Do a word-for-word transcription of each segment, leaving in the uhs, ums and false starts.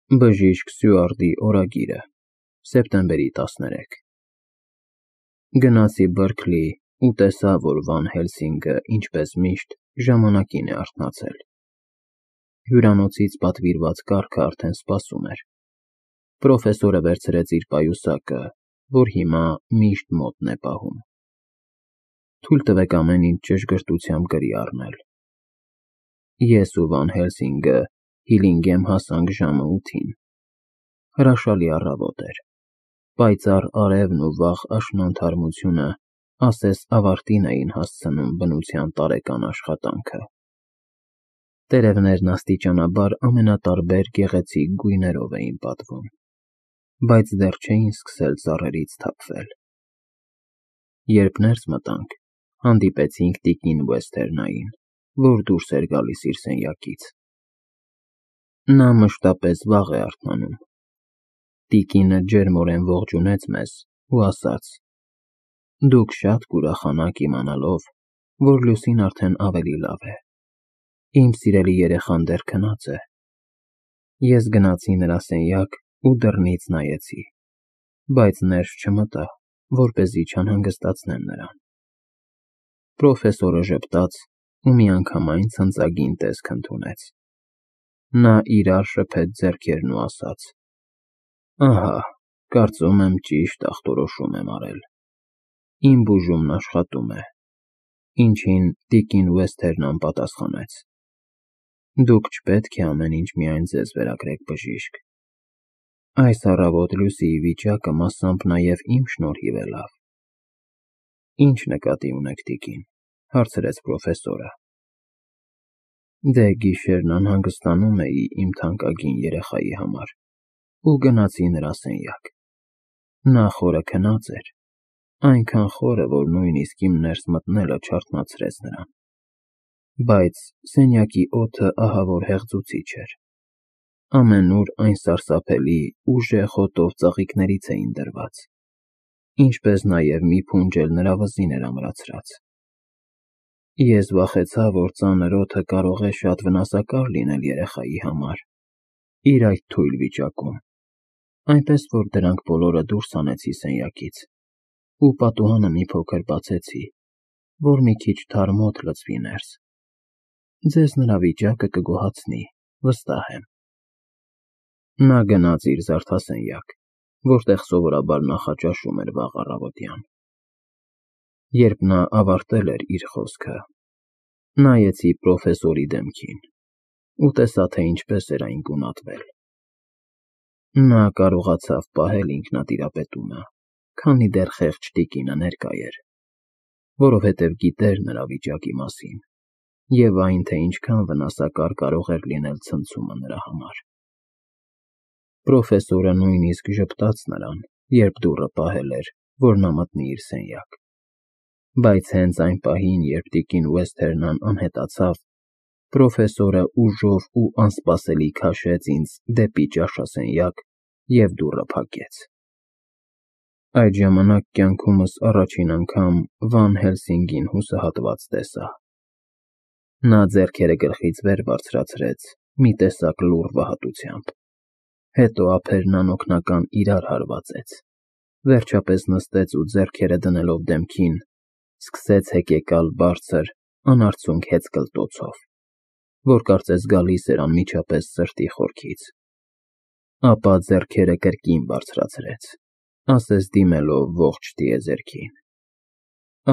Բժիշկ Սյուարտի օրագիրը, սեպտեմբերի տասներեքը Գնացի Բերքլի ու տեսա, որ Վան Հելսինգը, ինչպես միշտ, ժամանակին է արթնացել։ Հյուրանոցից պատվիրված կառքը արդեն սպասում էր։ Պրոֆեսորը վերցրեց իր պայուսակը, որ հիմա միշտ մոտն է պահում։ Թույլ տվեք ամեն ինչ ճշգրտությամբ գրի առնել։ Ես ու Վան Հելսինգը Հիլինգեմ հասանք ժամը ութին։ Հրաշալի առավոտ էր։ Պայծառ արևն ու վաղ աշնանթարմությունը ասես ավարտին էին հասցնում բնության տարեկան աշխատանքը։ Տերևներն աստիճանաբար ամենատարբեր գեղեցիկ գույներով էին պատվում, բայց դեռ չէին սկսել ծառերից թափվել։ Երբ ներս մտանք, հանդիպեցինք տիկին Վեսթերնային, որ դուրս էր գալիս իր սենյակից։ Նա մշտապես վաղ է արթնանում։ Տիկինը ջերմորեն ողջունեց մեզ ու ասաց. «Դուք շատ կուրախանաք իմանալով, որ լուսին արդեն ավելի լավ է։ Իմ սիրելի երեխան դեռ քնած է»։ Ես գնացի նրա սենյակ ու դռնից նայեցի, բայց ներս չմտա, որպեսզի չանհանգստացնեմ նրան։ Պրոֆեսորը ժպտաց ու միանգամայն ցնծագին տեսք ընդունեց։ Նա իրար շփեց ձեռքերն ու ասաց. «Ահա, կարծում եմ ճիշտ ախտորոշում եմ արել։ Իմ բուժումն աշխատում է»։ Ինչին տիկին Վեսթերնան պատասխանեց. «Դուք չպետք է ամեն ինչ միայն ձեզ վերագրեք, բժիշկ։ Այս առավոտ Լուսիի վիճակը մասամբ նաև իմ շնորհիվ է լավ»։ Ի՞նչ նկատի ունեք, տիկին, հարցրեց պրոֆեսորը։ Դե գիշերն անհանգստանում էի իմ թանկագին երեխայի համար ու գնացի նրա սենյակ։ Նա խորը քնած էր, այնքան խորը, որ նույնիսկ իմ ներս մտնելը չարթնացրեց նրան։ Բայց սենյակի օդը ահավոր հեղձուցիչ էր։ Ամենուր այն սարսափելի, ուժեղ հոտով ծաղիկներից էին դրված, ինչպես նաև մի փունջ էլ նրա վզին էր ամրացրած։ Ես վախեցա, որ ծանր օդը կարող է շատ վնասակար լինել երեխայի համար իր այդ թույլ վիճակում, այնպես որ դրանք բոլորը դուրս հանեցի սենյակից ու պատուհանը մի փոքր բացեցի, որ մի քիչ թարմ օդ լցվի ներս։ Ձեզ նրա վիճակը կգոհացնի, վստահ եմ։ Նա գնաց իր զարդասենյակ, որտեղ սովորաբար նախաճաշում էր վաղ առավոտյան։ Երբ նա ավարտել էր իր խոսքը, նայեցի պրոֆեսորի դեմքին ու տեսա, թե ինչպես էր այն գունատվել։ Նա կարողացավ պահել ինքնատիրապետումը, քանի դեռ խեղճ տիկինը ներկա էր, որովհետև գիտեր նրա վիճակի մասին և այն, թե ինչքան վնասակար կարող էր լինել ցնցումը նրա համար։ Պրոֆեսորը նույնիսկ ժպտաց նրան, երբ դուռը պահել էր, որ նա մտնի իր սենյակ։ Բայց հենց այն պահին, երբ տիկին Վեսթերնան անհետացավ, պրոֆեսորը ուժով ու անսպասելի քաշեց ինձ դեպի ճաշասենյակ և դուռը փակեց։ Այդ ժամանակ կյանքումս առաջին անգամ Վան Հելսինգին հուսահատված տեսա։ Նա ձեռքերը գլխից վեր բարձրացրեց մի տեսակ լուռ վհատությամբ, հետո ափերն անօգնական իրար հարվածեց, վերջապես նստեց ու ձեռքերը դնելով դեմքին, սկսեց հեկեկալ բարձր, անարդյունք հեծկլտոցով, որ կարծես գալիս էր անմիջապես սրտի խորքից։ Ապա ձեռքերը կրկին բարձրացրեց, ասես դիմելով ողջ տիեզերքին։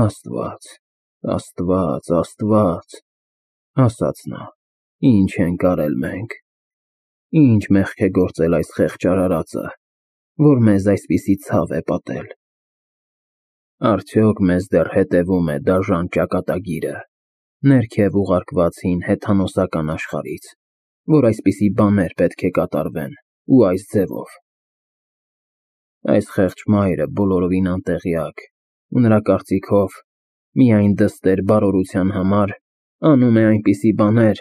Աստված, Աստված, Աստված, ասաց նա, ինչ ենք արել մենք, ինչ մեղք է գործել այս խեղճ արարածը, որ մեզ այսպիսի ցավ է պատել։ Արդյոք մեզ դեռ հետևում է դաժան ճակատագիրը, ներքև ուղարկված հին հեթանոսական աշխարհից, որ այսպիսի բաներ պետք է կատարվեն ու այս ձևով։ Այս խեղճ մայրը բոլորովին անտեղյակ ու նրա կարծիքով միայն դստեր բարօրության համար անում է այնպիսի բաներ,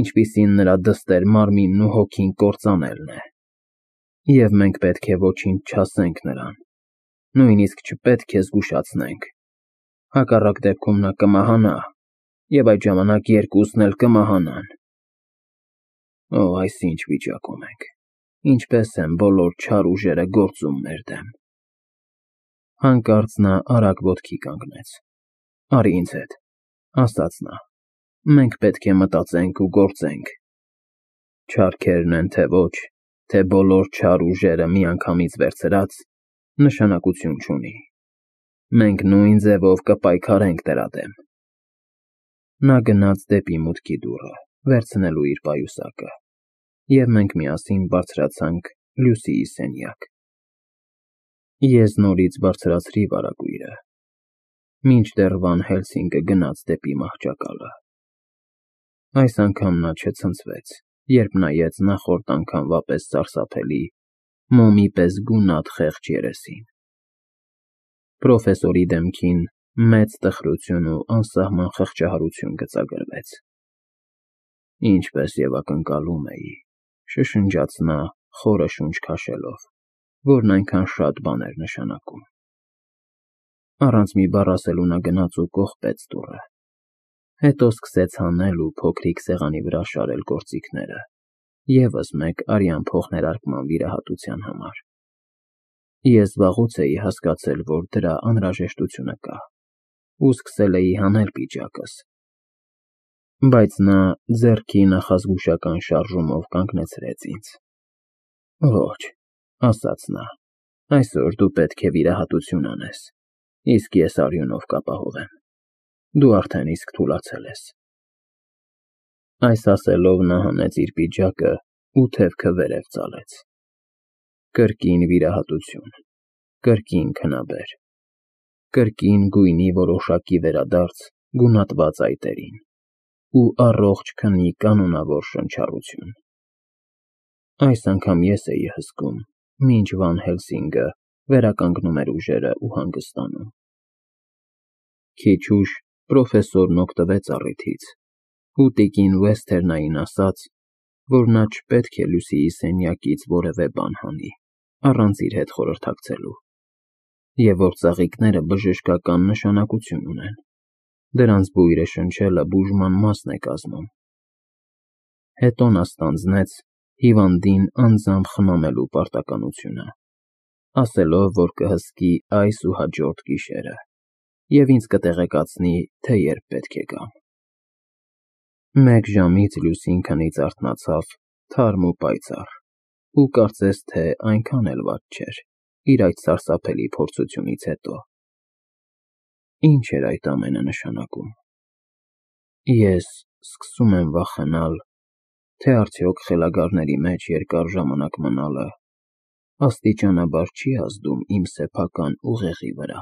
ինչպիսին նրա դստեր մարմինն ու հոգին կործանելն է։ Եվ մենք պետք է ոչինչ չասենք նրան, նույնիսկ չպետք է զգուշացնենք։ Հակառակ դեպքում նա կմահանա, և այդ ժամանակ երկուսն էլ կմահանան։ Օ, այս ինչ վիճակում ենք։ ինչպես են բոլոր չար ուժերը գործում մեր դեմ։ Հանկարծ նա արագ ոտքի կանգնեց։ Արի ինձ հետ, ասաց նա, մենք պետք է մտածենք ու գործենք։ Չարքերն են թե ոչ, թե բոլոր չար ուժերը միանգամից վերցրած, նշանակություն չունի։ Մենք նույն ձևով կպայքարենք դրա դեմ։ Նա գնաց դեպի մուտքի դուռը, վերցնելու իր պայուսակը, և մենք միասին բարձրացանք Լուսիի սենյակ։ Ես նորից բարձրացրի վարագույրը, մինչդեռ Վան Հելսինգը գնաց դեպի մահճակալը։ Այս անգամ նա չցնցվեց, երբ նայեց նախորդ անգամվա պես սարսափելի, մոմի պես գունատ խեղճ երեսին։ Պրոֆեսորի դեմքին մեծ տխրություն ու անսահման խղճահարություն գծագրվեց։ Ինչպես և ակնկալում էի, շշնջաց նա, խորը շունչ քաշելով, որն այնքան շատ բան էր նշանակում։ Առանց մի բառ ասելու նա գնաց ու կողպեց դուռը, հետո սկսեց հանել ու փոքրիկ սեղանի վրա շարել գործիքները, ևս մեկ արյան փոխներարկման վիրահատության համար։ Ես վաղուց էի հասկացել, որ դրա անհրաժեշտությունը կա, ու սկսել էի հանել պիջակս, բայց նա ձեռքի նախազգուշական շարժումով կանգնեցրեց ինձ։ Ոչ, ասաց նա, այսօր դու պետք է վիրահատություն անես, իսկ ես արյունով կապահովեմ։ Դու արդեն իսկ թուլացել ես։ Այս ասելով նա հանեց իր պիջակը ու թևքը վերև ծալեց։ Կրկին վիրահատություն, կրկին քնաբեր, կրկին գույնի որոշակի վերադարձ գունատված այտերին ու առողջ քնի կանոնավոր շնչառություն։ Այս անգամ ես էի հսկում, մինչ Վան Հելսինգը վերականգնում էր ուժերը ու հանգստանում։ Քիչ ուշ պրոֆեսորն օգտվեց առիթից ու տիկին Վեսթերնային ասաց, որ նա չպետք է Լուսիի սենյակից որևէ բան հանի, առանց իր հետ խորհրդակցելու, և որ ծաղիկները բժշկական նշանակություն ունեն, դրանց բույրը շնչելը բուժման մասն է կազմում։ Հետո նա ստանձնեց հիվանդին անձամբ խնամելու պարտականությունը, ասելով, որ կհսկի այս ու հաջորդ գիշերը և ինձ կտեղեկացնի, թե երբ պետք է գամ։ Մեկ ժամից Լուսին քնից արթնացավ թարմ ու պայծառ ու կարծես թե այնքան էլ վատ չէր իր այդ սարսափելի փորձությունից հետո։ Ինչ էր այդ ամենը նշանակում։ Ես սկսում եմ վախենալ, թե արդյոք խելագարների մեջ երկար ժամանակ մնալը աստիճանաբար չի ազդում իմ սեփական ուղեղի վրա։